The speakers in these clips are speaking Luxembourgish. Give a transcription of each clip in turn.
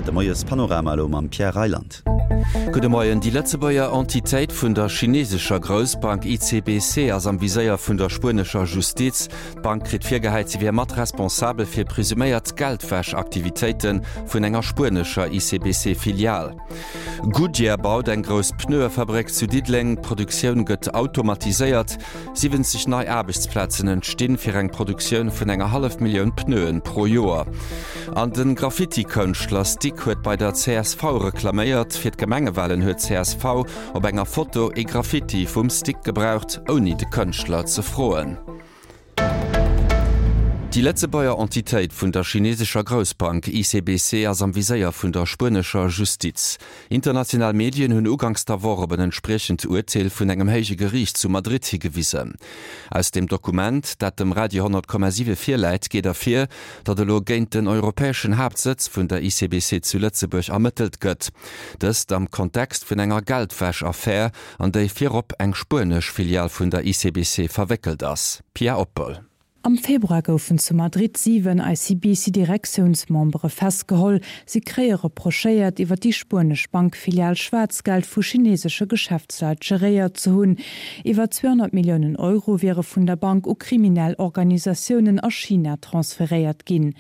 De Moiespanorama elo mam Pierre Reyland. Gudde Moien. Déi Lëtzebuerger Entitéit vun der chinesescher Groussbank ICBC ass am Viséier vun der spuenescher Justiz. D'Bank kritt virgehäit, si wier mat responsabel fir presuméiert Geldwäsch-Aktivitéite vun enger spuenescher ICBC-Filial. Goodyear baut eng grouss Pneuefabréck zu Diddeleng. D'Produktioun gëtt automatiséiert. 70 nei Aarbechtsplazen entstinn, fir eng Produktioun vun enger hallef Millioun Pneuen pro Joer. An de Graffiti-Kënschtler Stick huet bei der csv reklaméiert. Fir d'Gemengewalen huet csv op enger Foto ee Graffiti vum Stick gebraucht, ouni de Kënschtler ze froen. Déi Lëtzebuerger Entitéit vun der chinesescher Groussbank ICBC ass am Viséier vun der spuenescher Justiz. International Medien hunn uganks der Woch op en entspriechend Urteel vun engem héije Geriicht zu Madrid higewisen. Aus dem Dokument, dat dem Radio 10,7 virläit, geet ervir, datt elo géint den europäeschen Haaptsëtz vun der ICBC zu Lëtzebuerg ermëttelt gëtt. Dëst am Kontext vun enger Geldwäsch-Affär, an déi virop eng spuenesch Filial vun der ICBC verwéckelt ass. Pia Oppel. Am Februar goufen zu Madrid 7 ICBC-Direktiounsmembere festgeholl. Si kréie reprochéiert, iwwer déi spuenesch Bankfilial Schwaarzgeld vu chinesesche Geschäftsleit geréiert ze hunn. Iwwer 200 Milliounen Euro wiere vun der Bank u kriminell Organisatiounen a China transferéiert ginn.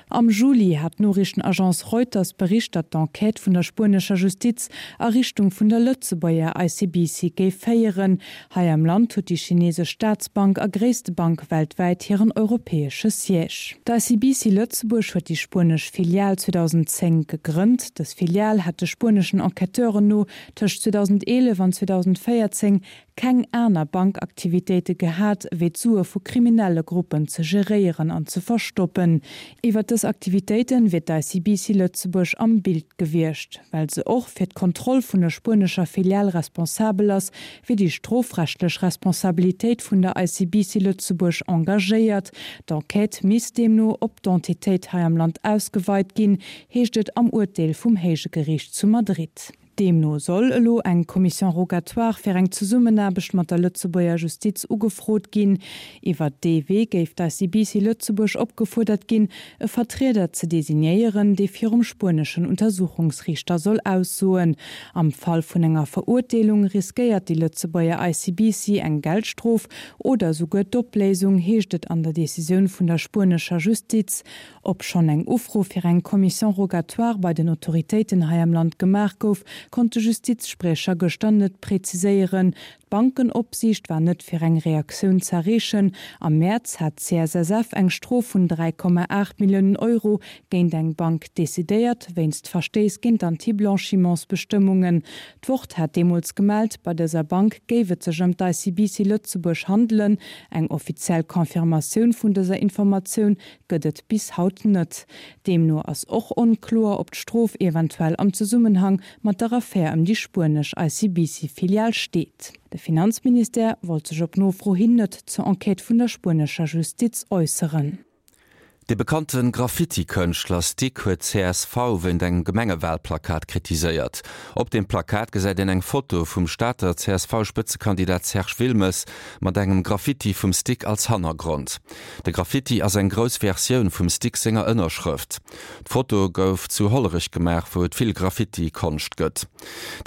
Am Juli hat d'Noriichtenagence Reuters bericht, datt d'Enquête vun der spuenescher Justiz a Richtung vun der Lëtzebuerger ICBC géif féieren. Hei am Land huet déi chinesesch Staatsbank a gréisste Bank weltwäit hiren europäesche Siège. D'ICBC Lëtzebuerg huet déi spuenesch Filial 2010 gegrënnt. Dës Filial hätt de spueneschen Enquêteuren no tëscht 2011 an 2014 keng aner Bankaktivitéite gehat, wéi d'Sue vu kriminelle Gruppen ze geréieren an ze verstoppen. Iwwer dës Aktivitéite wier d'ICBC Lëtzebuerg am Bild gewiescht. Well se och fir d'Kontroll vun der spuenescher Filial responsabel ass, wier déi strofrechtlech Responsabilitéit vun der ICBC Lëtzebuerg engagéiert. D'Enquête misst deemno op d'Entitéit hei am Land ausgeweit ginn, heescht et am Urteel vum héije Geriicht zu Madrid. Deemno soll elo eng Commission rogatoire fir eng Zesummenaarbecht mat der Lëtzebuerger Justiz ugefrot ginn. Iwwer dee Wee géif d'ICBC Lëtzebuerg opgefuerdert ginn, e Vertrieder ze designéieren, dee virum spueneschen Untersuchungsriichter soll aussoen. Am Fall vun enger Verurteelung riskéiert déi Lëtzebuerger ICBC eng Geldstrof oder esouguer d'Opléisung, heescht et an der Decisioun vun der spuenescher Justiz. Ob schonn eng Ufro fir eng Commission rogatoire bei den Autoritéiten hei am Land gemaach gouf, konnt de Justizspriecher gëschter net preziséieren. D'Bankenopsiicht war net fir eng Reaktioun z'erreechen. Am Mäerz hat d'CSSF eng Strof vun 3,8 Milliounen Euro géint eng Bank decidéiert, wéinst Verstéiss géint d'Anti-Blanchimentsbestëmmungen. D'Wort hat deemools gemellt, bei dëser Bank géif et sech ëm d'ICBC Lëtzebuerg handelen. Eng offiziell Confirmatioun vun dëser Informatioun gëtt et bis haut net. Deemno ass och onkloer, ob d'Strof eventuell am Zesummenhang mat der Affär ëm déi spuenesch ICBC-Filial steet. De Finanzministère wollt sech op Nofro hin net zur Enquête vun der spuenescher Justiz äusseren. De bekannte Graffiti-Kënschtler Stick huet csv wéint engem Gemengewalplakat kritiséiert. Op deem Plakat gesäit een eng Foto vum Stater CSV-Spëtzekandidat Serge Wilmes mat engem Graffiti vum Stick als Hannergrond. De Graffiti ass eng grouss Versioun vum Stick senger Ënnerschrëft. D'Foto gouf zu Hollerech gemaach, wou et vill Graffiti-Konscht gëtt.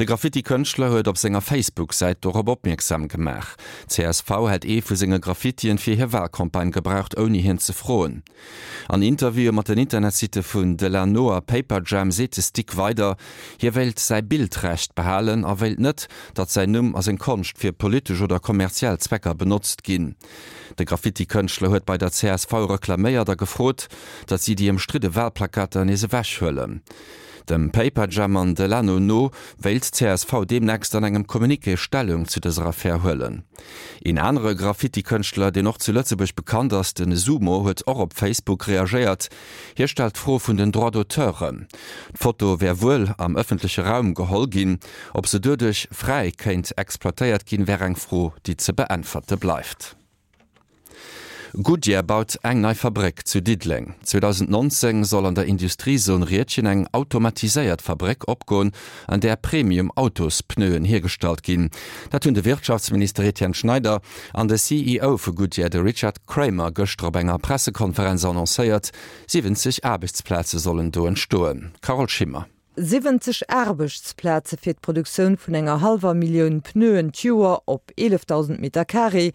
De Graffiti-Kënschtler huet op senger Facebook-Säit dorop opmierksam gemaach. Csv hätt ee vu senge Graffitien fir hir Walcampagne gebraucht, ouni hien ze froen. An Interviewe mat den Internetsitte vun Delano a Paperjam seet de Stick weider, hie wéilt säi Bildrecht behalen a wéilt net, datt säin Numm a seng Konscht fir politesch oder kommerziell Zwecker benotzt ginn. De Graffiti-Kënschtler huet bei der csv reklaméiert a gefrot, datt si déi ëmstridde Walplakater nees ewech huelen. Dem Paperjam an Delano no wéilt d'CSV deemnächst an engem Communiqué Stellung zu dëser Affär huelen. Een anere Graffiti-Kënschtler, deen och zu Lëtzebuerg bekannt ass, de Sumo, huet och op Facebook reagéiert. Hie stellt d'Fro vun den Droits d'auteuren. D'Foto wär wuel am ëffentleche Raum geholl ginn. Ob se doduerch fräi kéint exploitéiert ginn, wär eng Fro, déi ze beäntwerte bleift. Goodyear baut eng nei Fabréck zu Diddeleng. 2019 soll an der Industriezon Riedgen eng automatiséiert Fabréck opgoen, an där Premium-Autospneuen hiergestallt ginn. Dat hunn de Wirtschaftsminister Etienne Schneider an de CEO vu Goodyear, de Richard Kramer, gëschter op enger Pressekonferenz annoncéiert. 70 Aarbechtsplaze sollen do entstoen. Carole Schimmer. 70 Aarbechtsplaze fir d'Produktioun vun enger hallwer Millioun Pneuen d'Joer op 11.000 Meter Carré,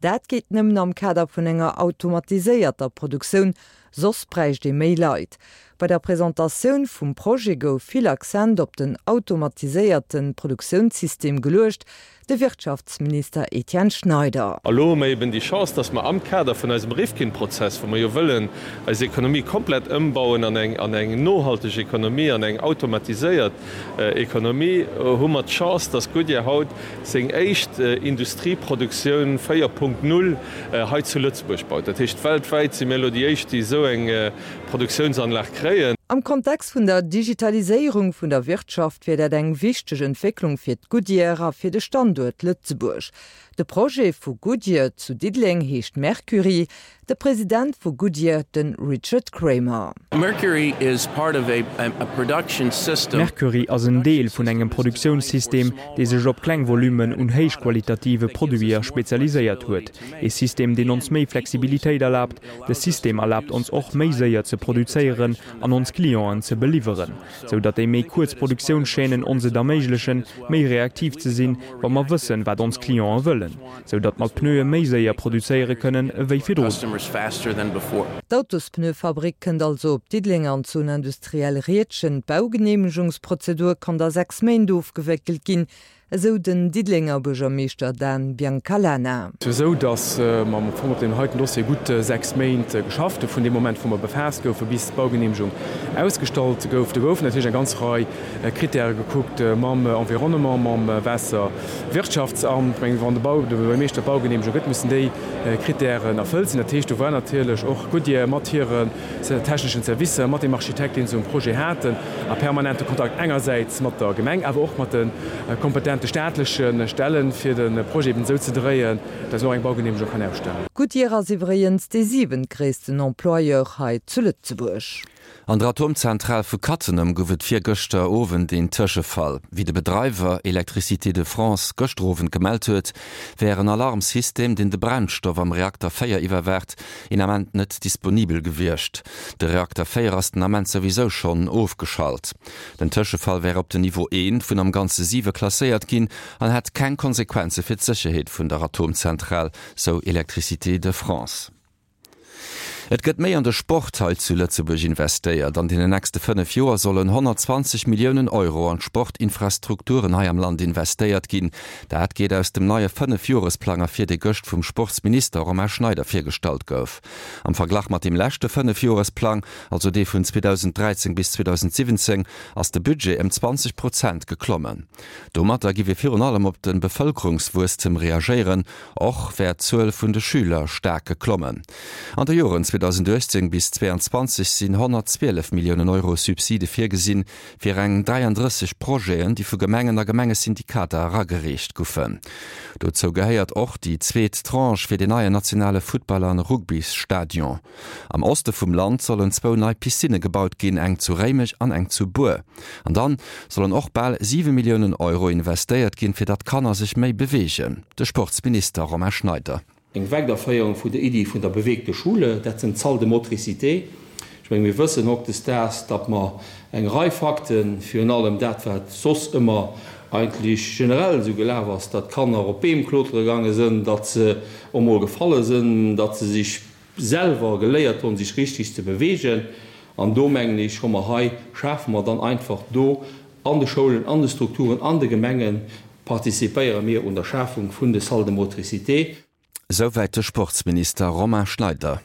dat geet nëmmen am Kader vun enger automatiséierter Produktioun, soss bräicht ee méi Leit. Bei der Presentatioun vum Projet gouf vill Accent op den automatiséierte Produktiounssystem geluecht, De Wirtschaftsminister Etienne Schneider. A lo hu mer eben déi Chance, dass mer am Kader vun eisem Rifkin-Prozess, wou mer jo wëllen eis Ekonomie komplett ëmbauen an eng, an eng nohalteg Ekonomie, an eng automatiséiert Ekonomie, hu mer d'Chance, dass Goodyear haut seng éischt Industrieproduktioun 4.0 hei zu Lëtzebuerg baut. Dat heescht, weltwäit si mir elo déi éischt, déi esou eng Produktiounsanlag kréien. Am Kontext vun der Digitaliséierung vun der Wirtschaft wier dat eng wichteg Entwécklung fir d'Goodyear a fir de Standuert Lëtzebuerg. De Projet vu Goodyear zu Diddeleng heescht Mercury. De President vu Goodyear, de Richard Kramer. Mercury ass en Deel vun engem Produktiounssystem, dee sech op kleng Volummen un héichqualitative Produiter spezialiséiert huet. Ee System, deen ons méi Flexibilitéit erlaabt, De System erlaabt ons och, méi séier ze produzéieren an ons Clienten ze beliwweren, sou datt déi méi kuerz Produktiounschaînen ons et erméiglechen, méi reaktiv ze sinn, wa mer wëssen, wat ons Clienten wëllen, sou datt mer d'Pneue méi séier produzéiere kënnen ewéi virdrun. D'Autospneuefabrik kënnt also op Diddeleng an d'Zone industrielle Riedgen. D'Baugeneemegungsprozedur konnt a 6 Méint ofgewéckelt ginn. Esou den Diddelenger Buergermeeschter Dan Biancalana. Esou datt mer am Fong op deem heiten Dossier gutt 6 Méint geschafft hu vun deem Moment wou mer befaasst goufe bis d'Baugeneemegung ausgestallt gouf. Do goufen natierlech eng ganz Rei Krittäre gekuckt mam Environnement, mam Waasserwirtschaftsamt. Ech mengen, wann de Bau, de Buergermeeschter d'Baugeneemegung gëtt, mussen déi Krittären erfëllt sinn. Dat heescht, do war natierlech och Goodyear mat hiren techneschen Servicer, mat deem Architekt, deen se um Projet haten, a permanente Kontakt engersäits mat der Gemeng, awer och mat de kompetente staatleche Stellen, fir de Projet eben esou ze dréien, dass en och eng Baugeneemegung kann ausstellen. Goodyear ass iwwregens dee siwentgréissten Employeur hei zu Lëtzebuerg. An der Atomzentral vu Cattenom gouf et virgëschter Owend een Tëschefall. Wéi de Bedreiwer Electricité de France gëschter Owend gemellt huet, wär en Alarmsystem, deen de Brennstoff am Reakter 4 iwwerwaacht, een Ament net disponibel gewiescht. De Reakter 4 ass den Ament souwisou schonn ofgeschalt. Den Tëschefall wär op den Niveau 1 vun am Ganze 7 klasséiert ginn an hätt keng Konsequenze fir d'Sécherheet vun der Atomzentral, sou Electricité de France. Et gëtt méi an de Sport hei zu Lëtzebuerg investéiert. An deenen nächste 5 Joer sollen 120 Milliounen Euro an d'Sportinfrastrukturen hei am Land investéiert ginn. Dat geet aus dem neie Fënnefjoresplang ervir, dee gëscht vum Sportsminister Romain Schneider virgestallt gouf. Am Verglach mat deem leschte Fënnefjoresplang, also dee vun 2013 bis 2017, ass de Budget ëm 20 Prozent geklommen. Domatter giff ee virun allem op de Bevëlkerungswuesstem reagéieren. Och wär d'Zuel vun de Schüler staark geklommen. An de Joren 2018 bis 2022 sinn 112 Milliounen Euro Subside virgesinn, fir eng 33 Projeten, déi vu Gemengen a Gemengesyndikater eragereecht goufen. Dozou gehéiert och déi zweet Tranche fir den neien nationale Futtball an Rugbysstadion. Am Oste vum Land sollen zwou nei Piscinne gebaut ginn, eng zu Réimech an eng zu Buer. An dann sollen och bal 7 Milliounen Euro investéiert ginn, fir datt d'Kanner sech méi beweegen. De Sportsminister Romain Schneider. Eng Weiderféierung vun der Iddi vun der bewegte Schule, dat sinn d'Salles de motricité. Ech menge mir wëssen hautdesdaags, datt mer eng Rei Fakten, virun allem dat wat soss ëmmer eigentlech generell esou gelaf ass, datt d'Kanner op Beem klotere gaange sënn, datt se och mol gefalle sënn, datt se sech selwer geléiert hunn, sech richtig ze bewegen. An do mengen ech, hu mer hei, schafe mer dann einfach do An de Schoulen, an de Strukturen, an de Gemenge participéiere mir un der Schafung vun de Salles de motricité. Souwäit de Sportsminister Romain Schneider.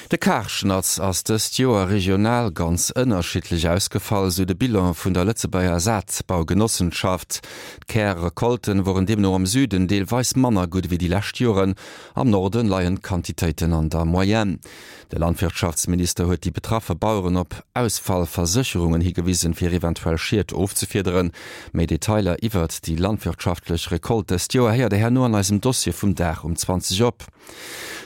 De Karschnatz ass dëst Joer regional ganz ënnerschiddlech ausgefall, sou de Bilan vun der Lëtzebuerger Saatbaugenossenschaft. D'Kärrecolten woren deemno am Süden deelweis manner gutt ewéi déi lescht Joren, am Norden leien d'Quantitéiten an der Moyenne. De Landwirtschaftsminister huet déi betraffe Baueren op Ausfallversécherungen higewisen, fir eventuell Schied ofzefiederen. Méi Detailer iwwert déi landwirtschaftlech Recolte dëst Joer héiert der herno an eisem Dossier vum Dag um 20 op.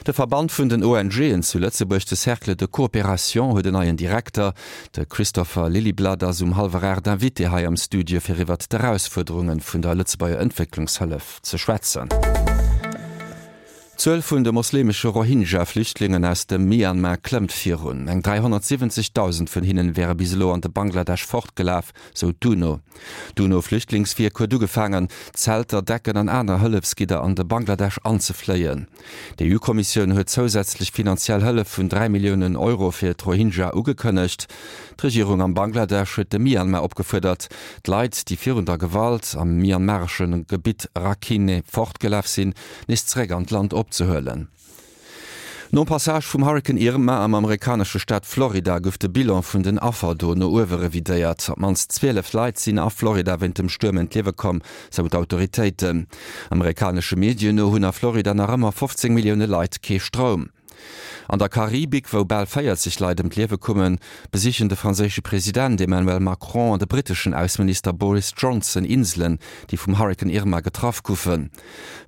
De Verband vun den ONGen zu Lëtzebuerg, de Cercle de Coopération, huet en neien Direkter. De Christopher Lillyblad ass um hallwer 8 Invité hei am Studio fir iwwert d'Erausfuerderunge vun der Lëtzebuerger Entwécklungshëllef ze schwätzen. D'Zuel vun de moslemesche Rohingya-Flüchtlingen aus dem Myanmar klëmmt virun. Eng 370.000 vun hinnen wäre bis elo an de Bangladesch fortgelaf, sou d'UNO. D'UNO-Flüchtlingswierk huet ugefaangen, Zelter, Decken an aner Hëllefsgidder an de Bangladesch anzefléien. D'EU-Kommissioun huet zousätzlech finanziell Hëllef vun 3 Milliounen Euro fir d'Rohingya ugekënnegt. D'Regierung am Bangladesch huet de Myanmar opgefuerdert, d'Leit, déi virun der Gewalt am myanmaresche Gebitt Rakhine fortgelaf sinn, nees zeréck an d'Land opzehuelen. Nom Passage vum Hurrikan Irma am amerikanesche Staat Florida gouf de Bilan vun den Affer do no uewe revidéiert. Op d'mannst 12 Leit sinn a Florida wéint dem Stuerm ëm d'Liewe komm, sou d'Autoritéiten. Amerikanesche Medien no hunn a Florida nach ëmmer 15 Millioune Leit kee Stroum. An der Karibik, wou bal 40 Leit ëm d'Liewe kummen, besichen de franséische President Emmanuel Macron an de britteschen Ausseminister Boris Johnson Inselen, déi vum Hurrikan Irma getraff goufen.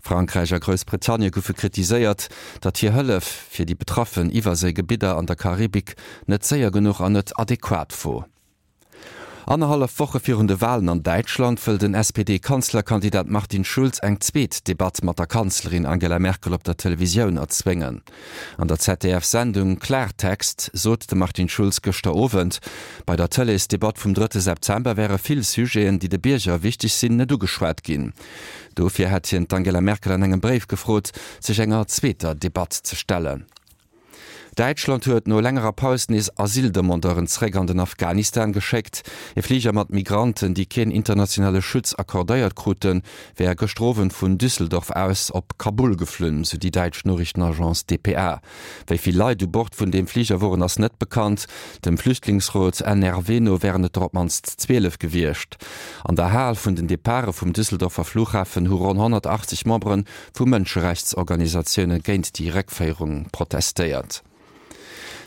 Frankräich a Groussbritannie goufe kritiséiert, datt hir Hëllef fir déi betraffen Iwwerséigebidder an der Karibik net séier genuch an net adequat wor. Annerhallef Woche virun de Walen an Däitschland wëll den SPD-Kanzlerkandidat Martin Schulz eng zweet Debatt mat der Kanzlerin Angela Merkel op der Televisioun erzwéngen. An der ZDF-Sendung Klartext sot de Martin Schulz gëschter Owend, bei der Tëleesdebatt vum drëtte September wäre vill Sujeten, déi de Bierger wichteg sinn, net ugeschwat ginn. Dofir hätt hien d'Angela Merkel an engem Bréif gefrot, sech enger zweeter Debatt ze stellen. Däitschland huet no längerer Paus nees Asyldemandeuren zeréck an den Afghanistan geschéckt. E Fliger mat Migranten, déi keen internationale Schutz accordéiert kruten, wär gëschter Owend vun Düsseldorf aus op Kabul geflunn, sou déi däitsch Noriichtenagence dpa. Wéi vill Leit u Bord vun deem Fliger woren, ass net bekannt. Dem Flüchtlingsrot NRW no wären et der op d'mannst 12 gewiescht. An der Hal vun den Departe vum Düsseldorfer Flughafen hu ronn 180 Membere vu Mënscherechtsorganisatioune géint déi Réckféierung protestéiert.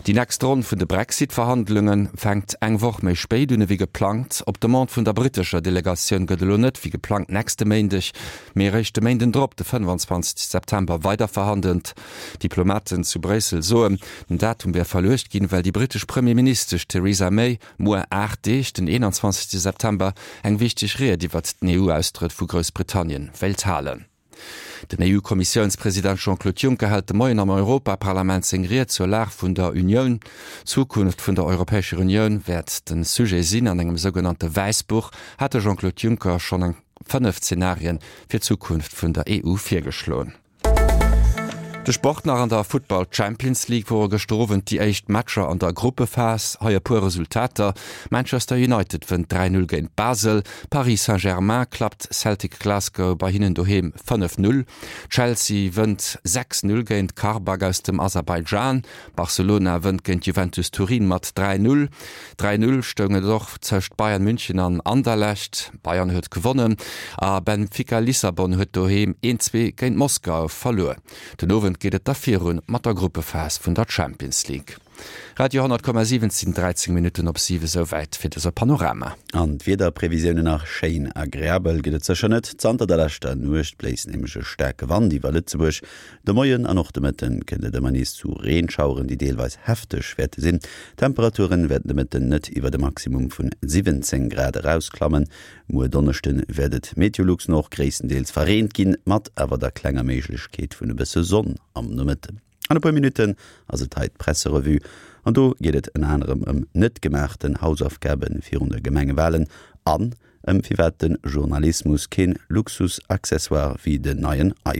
Déi nächst Ronn vun de Brexit-Verhandlunge fänkt eng Woch méi spéit un ewéi geplangt. Op Demande vun der brittescher Delegatioun gëtt elo net wéi geplangt nächste Méindeg, mee eréischt de Méinden drop, de 25 September, weiderverhandelt. Diplomaten zu Bréissel soen, den Datum wär verluecht ginn, well déi brittesch Premierministesch Theresa May muer 8 Deeg, den 21 September, eng wichteg Ried iwwert den EU-Austrëtt vu Groussbritannien wéilt halen. Den EU-Kommissiounspresident Jean-Claude Juncker hält de Moien am Europaparlament seng Ried zur Lag vun der Unioun. D'Zukunft vun der Europäescher Unioun wäert de Sujet sinn. An engem sougenannte Wäissbuch hat de Jean-Claude Juncker schonn eng 5 Zenarien fir d'Zukunft vun der EU virgeschloen. De Sport nach, An der Futtball Champions League wore gëschter Owend déi éischt Matcher an der Gruppephas. Hei e puer Resultater, Manchester United wënnt 3, 0 géint Basel, Paris Saint-Germain klappt Celtic Glasgow bei hinnen doheem 5, 0, Chelsea wënnt 6, 0 géint Qarabag aus dem Aserbaidschan, Barcelona wënnt géint Juventus Turin mat 3, 0. 3, 0 stoung et och tëscht Bayern München an Anderlecht, Bayern huet gewonnen, a Benfica Lissabon huet doheem 1, 2 géint Moskau verluer. Den Owend geet et da virun mat der Gruppephas vun der Champions League. Radio 10,7 Et sinn 13 Minutten op 7, esouwäit fir dëse Panorama. An d'Wiederprevisiounen nach, Schéin agreabel gëtt et sécher net. Zanter der leschter Nuecht bléist nämlech e staarke Wand iwwer Lëtzebuerg. De Moien an och de Mëtten kënnt et ëmmer nees zu Reenschaueren, déi deelweis hefteg wäerte sinn. D'Temperature wäerten de Mëtten net iwwer e Maximum vun 17 Grad erausklammen. Muer Donneschde wäert et Meteolux no och gréisstendeels verreent ginn, mat awer der klenger Méiglechkeet vun e bësse Sonn am Nomëtten. An e puer Minutten ass et hei d'Presserevue an do geet et ënner anerem ëm net gemaachten Hausaufgabe virun de Gemengewalen an ëm firwat de Journalismus keen Luxusaccessoire wéi den neien iPhone.